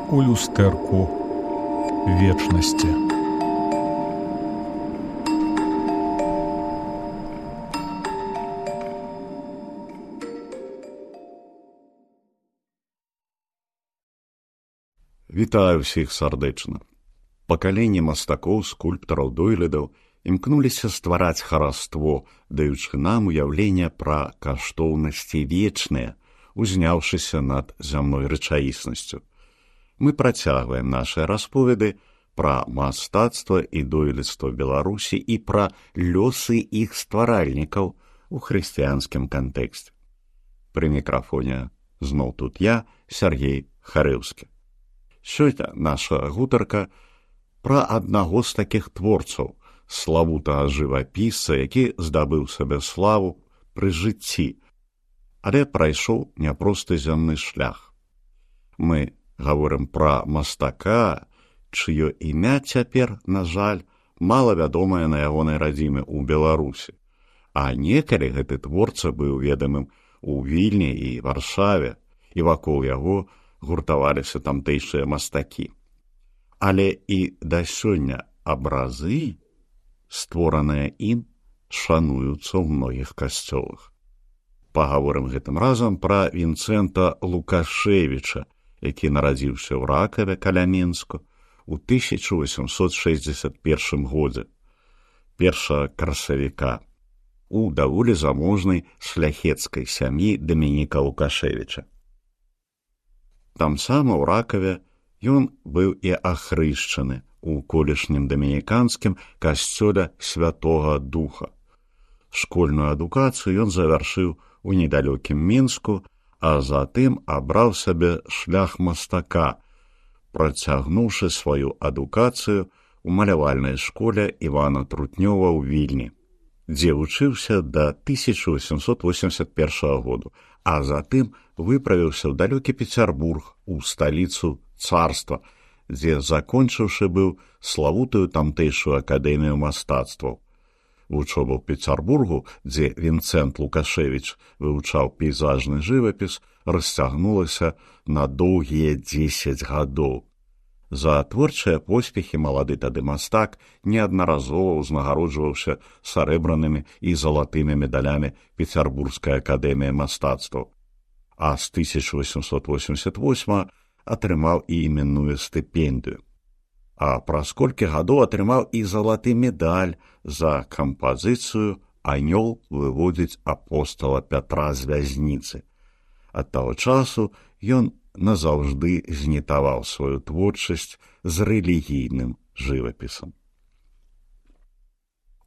у люстэрку вечнасці. Вітаю ўсіх сардэчна. Пакаленне мастакоў, скульптараў, дойлідаў імкнуліся ствараць хараство, даючы нам уяўленне пра каштоўнасці вечныя, узняўшыся над зямной рэчаіснасцю. Мы працягваем нашы расповеды пра мастацтва і дойлідства Беларусі і пра лёсы іх стваральнікаў у хрысціянскім кантэксце. Пры мікрафоне зноў тут я, Сергей Харэўскі. Сёння наша гутарка пра аднаго з такіх творцаў, славутага жывапісца, які здабыў сабе славу пры жыцці, але прайшоў няпросты зямны шлях. Мы гаворым пра мастака, чыё імя цяпер, на жаль, малавядомае на ягонай радзіме ў Беларусі. А некалі гэты творца быў ведамым у Вільні і Варшаве, і вакол яго гуртаваліся тамтэйшыя мастакі. Але і да сёння абразы, створаныя ім, шануюцца ў многіх касцёлах. Пагаворым гэтым разам пра Вінцэнта Лукашевіча, які нарадзіўся ў Ракаве каля Мінску ў 1861 годзе, 1 красавіка, у даволі заможнай шляхецкай сям'і Дамініка Лукашевіча. Там сама ў Ракаве ён быў і ахрышчаны у колішнім дамініканскім касцёле Святога Духа. Школьную адукацыю ён завяршыў у недалёкім Мінску, а затым абраў сабе шлях мастака, працягнуўшы сваю адукацыю у малявальнай школе Івана Трутнёва ў Вільні, дзе вучыўся да 1881 году, а затым выправіўся ў далёкі Пецярбург, у сталіцу царства, дзе, закончыўшы быў славутую тамтэйшую акадэмію мастацтваў. Вучоба ў Пецярбургу, дзе Вінцэнт Лукашевіч вывучаў пейзажны жывапіс, расцягнулася на доўгія 10 гадоў. За творчыя поспехі малады тады мастак неаднаразова ўзнагароджваўся сарэбранымі і залатымі медалямі Пецярбургскай акадэміі мастацтваў, а з 1888 атрымаў і іменную стыпендыю. А праз колькі гадоў атрымаў і залаты медаль за кампазіцыю «Анёл выводзіць апостала Пятра з вязніцы». Ад таго часу ён назаўжды знітаваў сваю творчасць з рэлігійным жывапісам.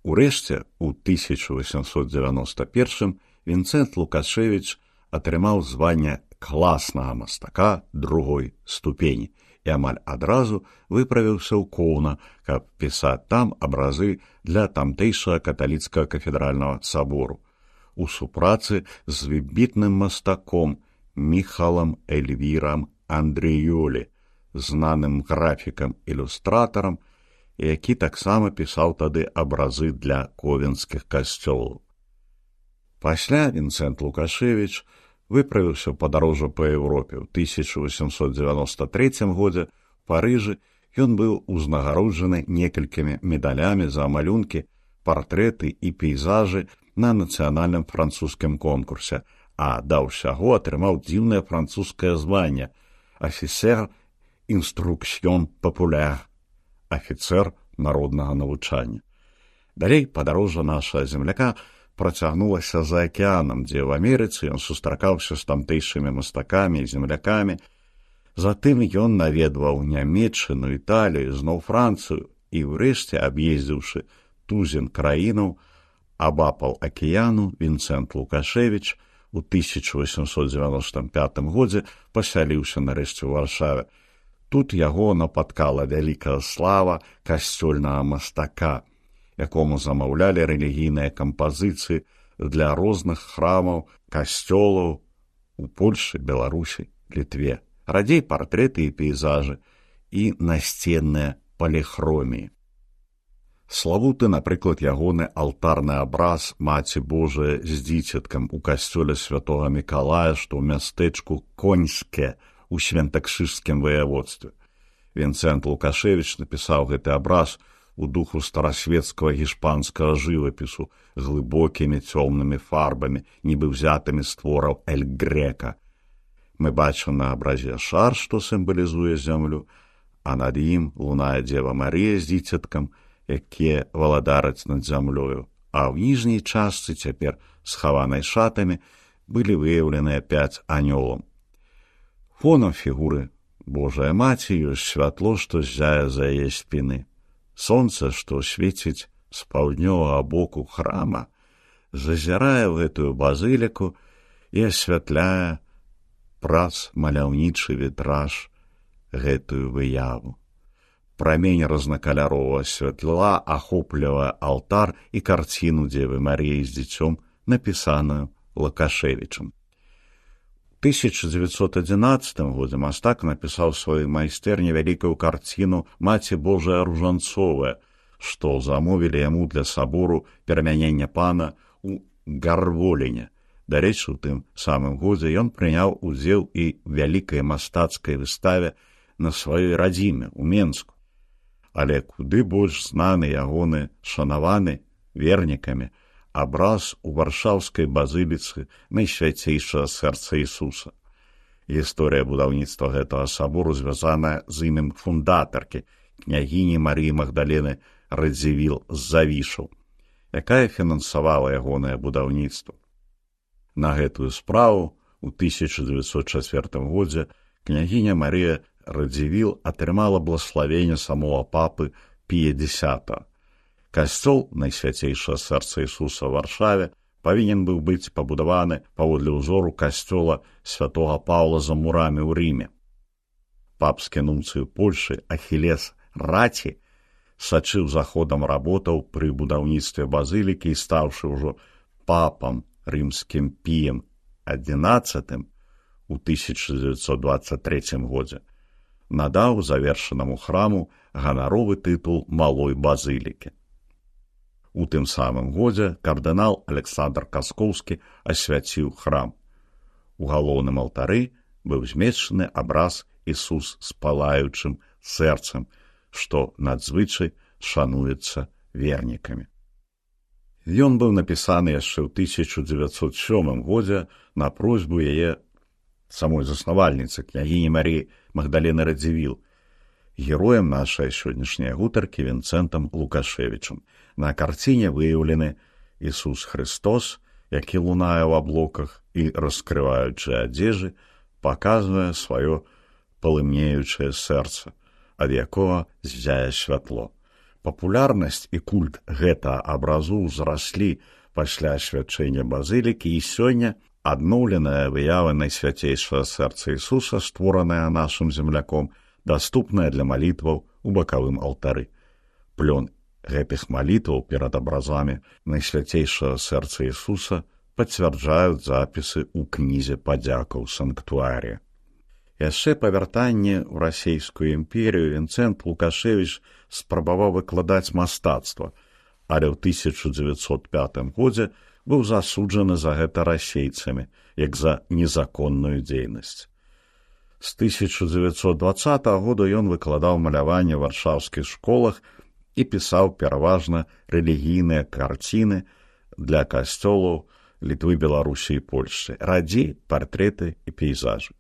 Урэшце, у 1891 Вінцэнт Лукашевіч атрымаў званне класнага мастака другой ступені і амаль адразу выправіўся ў Коўна, каб пісаць там абразы для тамтэйшага каталіцкага кафедральнага сабору, у супрацы з выбітным мастаком Міхалам Эльвірам Андрыёлі, знаным графікам-ілюстратарам, які таксама пісаў тады абразы для ковенскіх касцёлаў. Пасля Вінцэнт Лукашевіч выправіўся ў падарожжа па Еўропе. У 1893 годзе ў Парыжы ён быў узнагароджаны некалькімі медалямі за малюнкі, партрэты і пейзажы на нацыянальным французскім конкурсе, а да ўсяго атрымаў дзіўнае французскае званне «Афіцер інструкцыён папуляр» – афіцэр народнага навучання. Далей падарожжа нашага земляка працягнулася за акеанам, дзе ў Амерыцы ён сустракаўся з тамтэйшымі мастакамі і землякамі. Затым ён наведваў Нямецчыну, Італію, зноў Францыю і, ўрэшце, аб'ездзіўшы тузін краінаў, абапал акеану Вінцэнт Лукашевіч у 1895 годзе пасяліўся нарэшце ў Варшаве. Тут яго напаткала вялікая слава касцёльнага мастака, якому замаўлялі рэлігійныя кампазіцыі для розных храмаў, касцёлаў у Польшы, Беларусі, Літве, радзей партрэты і пейзажы і насценныя паліхроміі. Славуты, напрыклад, ягоны алтарны абраз Маці Божая з дзіцяткам у касцёле святога Мікалая, што ў мястэчку Коньске у Святакшыжскім ваяводстве. Вінцэнт Лукашевіч напісаў гэты абраз у духу старасветскага гішпанскага жывапісу глыбокімі цёмнымі фарбамі, нібы ўзятымі з твораў Эль Грека. Мы бачым на абразе шар, што сімвалізуе зямлю, а над ім лунае Дзева Марія з дзіцяткам, якія валадараць над зямлёю, а ў ніжняй частцы, цяпер схаванай шатамі, былі выяўленыя 5 анёлаў. Фонам фігуры Божая Маці ёсць святло, што ззяе за яе спіны. Сонца, што свеціць з паўднёвага боку храма, зазірае ў гэтую базыліку і асвятляе праз маляўнічы вітраж гэтую выяву. Прамень рознакаляровага святла ахоплівае алтар і карціну Дзевы Маріі з дзіцём, напісаную Лукашевічам. У 1911 годзе мастак напісаў сваёй майстэрні вялікую карціну «Маці Божая Ружанцовая», што замовілі яму для сабору перамянення пана ў Гарволіне. Дарэчы, у тым самым годзе ён прыняў удзел і ў вялікай мастацкай выставе на сваёй радзіме ў Менску. Але куды больш знаны ягоны шанаваны вернікамі абраз у варшаўскай базыліцы Найсвяцейшага сэрца Ісуса. Гісторыя будаўніцтва гэтага сабору звязаная з імем фундатаркі, княгіні Марыі Магдалены Радзівіл з Завішаў, якая фінансавала ягонае будаўніцтва. На гэтую справу у 1904 годзе княгіня Марыя Радзівіл атрымала благословенне самого папы Пія X. Касцёл Найсвяцейшага сэрца Ісуса ў Варшаве павінен быў быць пабудаваны паводле ўзору касцёла святога Паўла за мурамі ў Рыме. Папскі нунцый у Польшы Ахілес Раці сачыў за ходам работаў пры будаўніцтве базылікі і стаўшы ўжо папам рымскім Піем XI у 1923 годзе, надаў завершанаму храму ганаровы тытул малой базылікі. У тым самым годзе кардынал Александр Каскоўскі асвяціў храм. У галоўным алтары быў змешчаны абраз Ісус з палаючым сэрцам, што надзвычай шануецца вернікамі. Ён быў напісаны яшчэ ў 1907 годзе на просьбу яе самой заснавальніцы, княгіні Марыі Магдалены Радзівіл, героем нашай сённяшняй гутаркі Вінцэнтам Лукашевічам. На карціне выяўлены Ісус Христос, які лунае ў аблоках і, раскрываючы адзежы, паказвае сваё палымнеючае сэрца, ад якога ззяе святло. Папулярнасць і культ гэтага абразу ўзраслі пасля асвячэння базылікі, і сёння адноўленая выява Найсвяцейшага сэрца Ісуса, створаная нашым земляком, даступная для малітваў у бакавым алтары. Плён гэтых малітваў перад абразамі Найсвяцейшага сэрца Ісуса пацвярджаюць запісы ў кнізе падзякаў санктуарія. Яшчэ па вяртанні ў расійскую імперію Вінцэнт Лукашевіч спрабаваў выкладаць мастацтва, але ў 1905 годзе быў засуджаны за гэта расейцамі, як за незаконную дзейнасць. З 1920 года ён выкладаў маляванне ў варшаўскіх школах і пісаў пераважна рэлігійныя карціны для касцёлаў Літвы, Беларусі і Польшчы, радзей партрэты і пейзажы.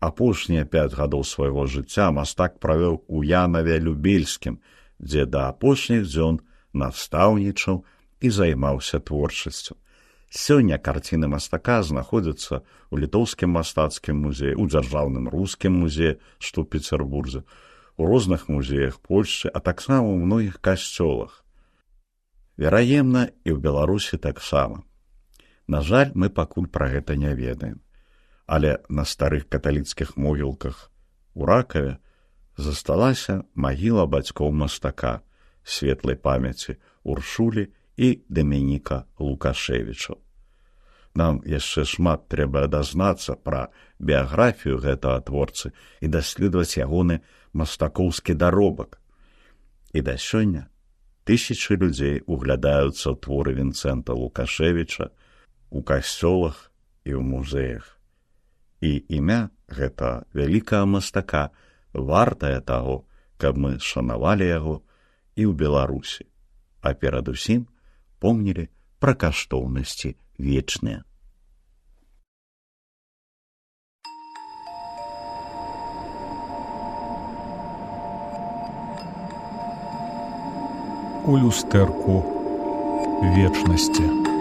Апошнія 5 гадоў свайго жыцця мастак правёў у Янаве-Любельскім, дзе да апошніх дзён настаўнічаў і займаўся творчасцю. Сёння карціны мастака знаходзяцца ў літоўскім мастацкім музеі, у дзяржаўным рускім музеі, што ў Пецярбурзе, у розных музеях Польшчы, а таксама ў многіх касцёлах. Вераемна, і ў Беларусі таксама. На жаль, мы пакуль пра гэта не ведаем. Але на старых каталіцкіх могілках у Ракаве засталася магіла бацькоў мастака, светлай памяці Уршулі і Даменіка Лукашевічаў. Нам яшчэ шмат трэба дазнацца пра біяграфію гэтага творцы і даследаваць ягоны мастакоўскі даробак. І да сёння тысячы людзей углядаюцца ў творы Вінцэнта Лукашевіча у касцёлах і ў музеях. І імя гэта вялікага мастака вартае таго, каб мы шанавалі яго і ў Беларусі, а перадусім помнілі пра каштоўнасці вечныя. У люстэрку вечнасці.